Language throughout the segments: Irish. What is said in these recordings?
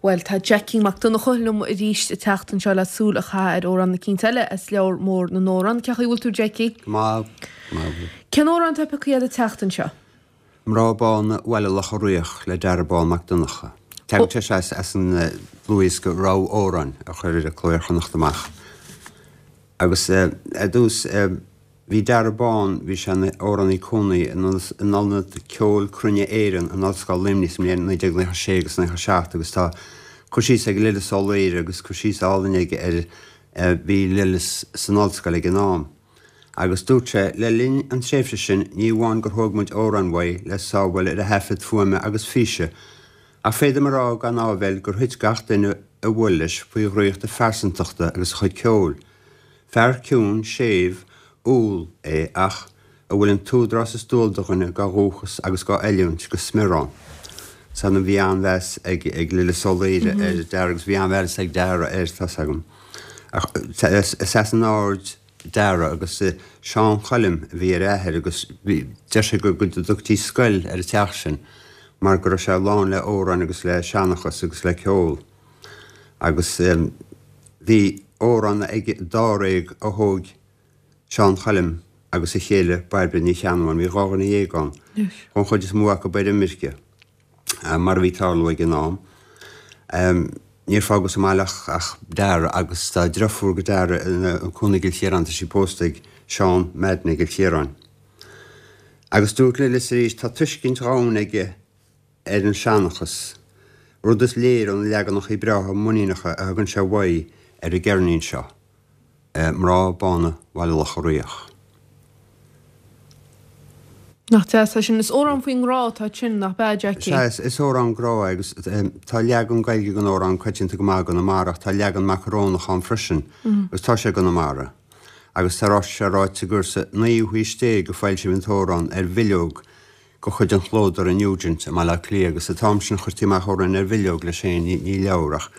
Bhuel, tá Jackie Mac Donncha liom arís an tseachtain seo le súil a chaitheamh ar amhrán eicínt eile as Leabhar Mór na nAmhrán. Cén chaoi a bhfuil tú, Jackie? Go maith, go maith. Cén amhrán atá pioctha agat an tseachtain seo? Mná Bána Bhaile Locha Riach le Dara Bán Mac Donncha. Tagann sé seo as an dlúthdhiosca Rogha Amhrán a chuir Cló Iar-Chonnacht amach. Agus ar dtús bhí Dara Bán, bhí sé ina amhránaí cónaí in Ionad Ceoil Cruinne Éireann in Ollscoil Luimnigh sa mbliain 1996 agus 97 agus tá cur síos ag Lillis Ó Laoire agus cur síos álainn aige ar bhí Lillis san ollscoil ag an am. Agus dúirt sé, le linn an tréimhse sin, ní amháin gur thóg muid amhráin uaidh le sábháil ar a thaifead fuaime agus físe, ach féadaim a rá gan áibhéil gur thuit gach duine a bhuail leis faoi dhraíocht a phearsantachta agus a chuid ceoil. Fear ciúin, séimh, umhal é ach a bhfuil an t-údarás is dual do dhuine dá dhúchas agus dá oiliúint go smior ann. San bhí an-mheas ag Lillis Ó Laoire ar Dara agus bhí an-mheas ag Dara air, tá's agam. Ach is as an Aird Dara agus Seán Choilm a bhí ar a athair agus bhí, deir sé go dtugtaí scoil ar an teach sin mar go raibh sé lán le amhráin agus le seanchas agus le ceol. Agus bhí amhrán ag dáréag a thóg Seán Choilm agus a chéile Bairbre Ní Cheannabháin, bhí 12 dhuine ann, an chuid is mó acu ar imirce. mar a bhí ag tarlú ag an am. Níor fágadh sa mbaile ach Dara agus tá deirfiúr go Dara ina cónaí i gCill Chiaráin, tá sí pósta ag Seán Madden i gCill Chiaráin. Agus dúirt Lillis arís, tá tuiscint dhomhain aige ar an seanchas, rud is léir ó na leaganacha breátha muiníneacha a thugann sé uaidh ar an gceirnín seo. Mná Bána Bhaile Locha Riach. Nach deas é sin. Is amhrán faoin ngrá atá ansin, nach ea, Jackie? Sea, is amhrán grá é agus tá leagan Gaeilge den amhrán coitianta go maith i gConamara ach tá leagan macarónach ann freisin agus tá sé i gConamara. Agus tá sé ráite gur sa naoú haois déag a foilsíodh an t-amhrán ar bhileog de chuid an chlódóra Nugent i mBaile Átha Cliath agus an t-am sin chuirtí amach amhráin ar bhileog leis féin, ní leabhar ach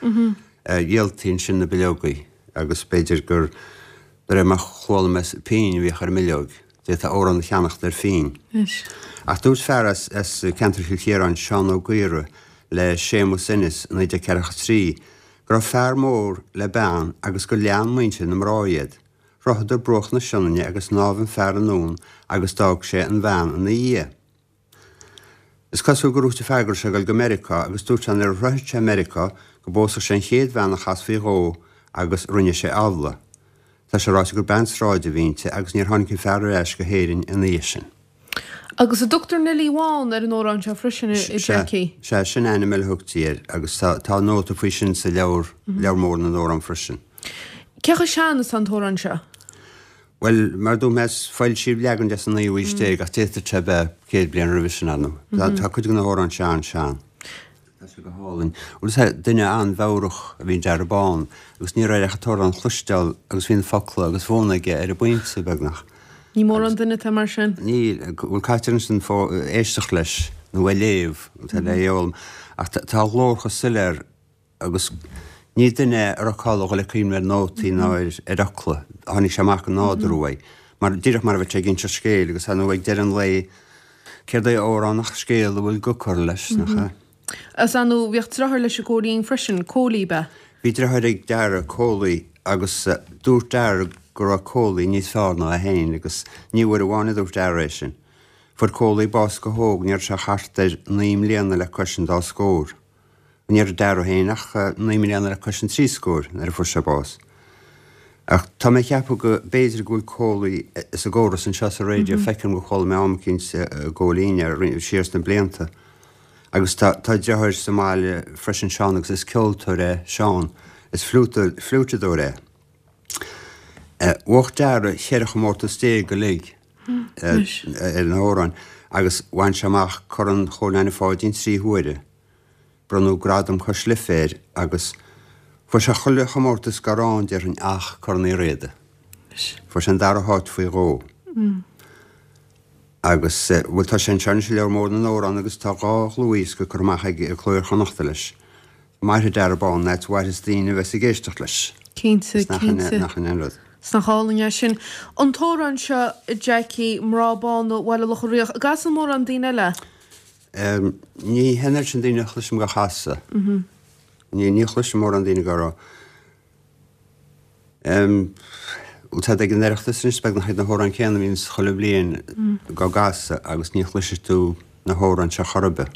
dhíoltaí ansin na bileogaí. Agus b'fhéidir gur de réir mar chuala mé pingin a bhíodh ar an mbileog. D'fhéadfá amhrán a cheannacht ar phingin. Ach dúirt fear as ceantar Chill Chiaráin, Seán Ó Gaora, le Séamus Ennis i 1943 go raibh fear mór le bean agus gur lean muintir na mná iad. Shroicheadar bruach na Sionainne agus shnámh an fear anonn agus d'fhág sé an bhean ina dhiaidh. Is cosúil gur dhúirt an fear go raibh sé ag dul go Meiriceá agus dúirt sé nuair a shroichfeadh sé Meiriceá go bpósfadh sé an chéad bhean a chasfaí dhó agus rinne sé amhlaidh. Tá sé ráite gur bean sráide a bhí inti agus níor tháinig an fear ar ais go hÉirinn ina dhiaidh sin. Agus an dtugtar Neilí Bhán ar an amhrán seo freisin, a Jackie? Sea, sin ainm eile a thugtaí air agus tá nóta faoi sin sa leabhar, Leabhar Mór na nAmhrán freisin. Cé chomh sean is atá an t-amhrán seo? Bhuel, mar a dúirt mé, foilsíodh leagan de sa naoú haois déag ach d'fhéadfadh sé bheith 100 bliain roimhe sin, ar ndóigh. Tá cuid de na hamhráin seo an-sean. Tá sé go hálainn. Bhuel, is duine an-mheabhrach a bhí in Dara Bán agus ní raibh air ach an t-amhrán a chloisteáil agus bhí na focla agus fonn aige ar an bpointe, beagnach. Ní mórán duine atá mar sin. Níl. Bhuel, caitear ansin éisteacht leis nó é a léamh, tá le é a fhoghlaim. Ach tá a ghlór chomh soiléir Agus ní duine é a raibh cáil a dhul ag cuimhneamh ar nótaí ná ar fhocla. Tháinig sé amach go nádúrtha uaidh. Mar, díreach mar a bheadh sé ag inseacht scéil agus ar ndóigh ag deireadh an lae, céard é amhrán ach scéal a bhfuil guth curtha leis, nach ea? Is ar ndóigh, bhíodh deartháir leis an Cóilín freisin, Cóilí, ab ea? Bhí deartháir ag Dara, Cóilí, agus dúirt Dara go raibh Cóilí níos fearr ná é féin agus ní uair amháin a dúirt Dara é sin. Fuair Cóilí bás go hóg, ní raibh sé ach thart ar naoi mbliana le cois an dá scór. Ní raibh Dara féin ach 9 mbliana le cois an trí scóir nuair a fuair sé bás. Ach tá mé ag ceapadh go b'fhéidir go bhfuil Cóilí sa gcóras anseo sa raidió, feicim gur chuala mé am eicínt i gCóilín é siar sna blianta. Agus tá tá deartháir sa mbaile freisin Seán agus is ceoltóir é Seán, is fliúiteadóir é. Bhuaigh Dara cheithre chomórtas déag uilig ar na hamhráin agus bhain sé amach Corn Chóil Anna Pháidín 3 huaire. Bronnadh Gradam Cois Life air agus fuair sé chuile chomórtas dá raibh ann déarfainn ach Corn Uí Riada. Fuair sé an dara háit faoi dhó. Agus, bhuel tá sé anseo anois i Leabhar Mór na nAmhrán agus tá dhá dhlúthdhiosca curtha amach ag Cló Iar-Chonnachta leis. Mairfidh Dara Bán an fhad is a mhairfeas daoine a bheas ag éisteacht leis. Cinnte, Is nach in cinnte. nach in aon rud. Is nach álainn é sin. An t-amhrán seo, a Jackie, Mná Bána Bhaile Locha Riach, an gcasann mórán daoine eile é? Ní hin oiread sin daoine a chloisim dhá chasadh. Ní chloisim mórán daoine ag rá. Bhuel táid ag an Oireachtas anois beagnach iad na hamhráin céanna a bhíonns chuile bhliain á gcasadh agus ní chloisfidh tú na hamhráin seo chor ar bith.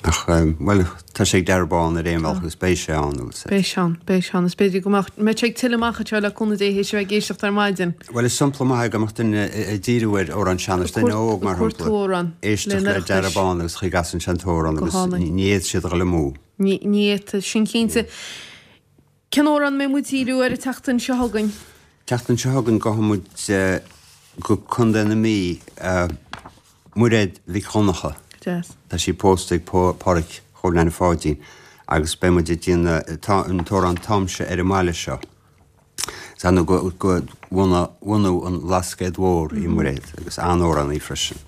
Ach, bhuel, tá sé ag Darragh Bán ar aon bhealach agus beidh sé ann, bhfuil 's agat. Beidh sé ann, beidh sé ann. Is b'fhéidir go mbeadh, mbeidh sé ag tuilleadh amach anseo le cúnamh Dé théis a bheith ag éisteacht ar maidin. Bhuel, is sampla maith é go mbeadh duine ag díriú ar amhrán sean-nóis, duine óg mar shampla, éisteacht le Darragh Bán agus chaoi a gcasann sé an t-amhrán agus ní fhéadfadh siad a dhul amú. Ní fhéadfadh, sin cinnte. Cén amhrán a mbeidh muid ag díriú air an tseachtain seo chugainn? Tseachtain seo chugainn gabhfaidh muid go Contae na Mí, Muiréad Mhic Dhonncha. Deas. Tá sí pósta ag Páraic Chóil Neaine Pháidín agus beidh muid ag déanamh an t-amhrán Táimse ar an mbaile seo. Is ar ndóigh de bhunadh an Bhlascaoid Mhóir í Muiréad agus an-amhránaí freisin.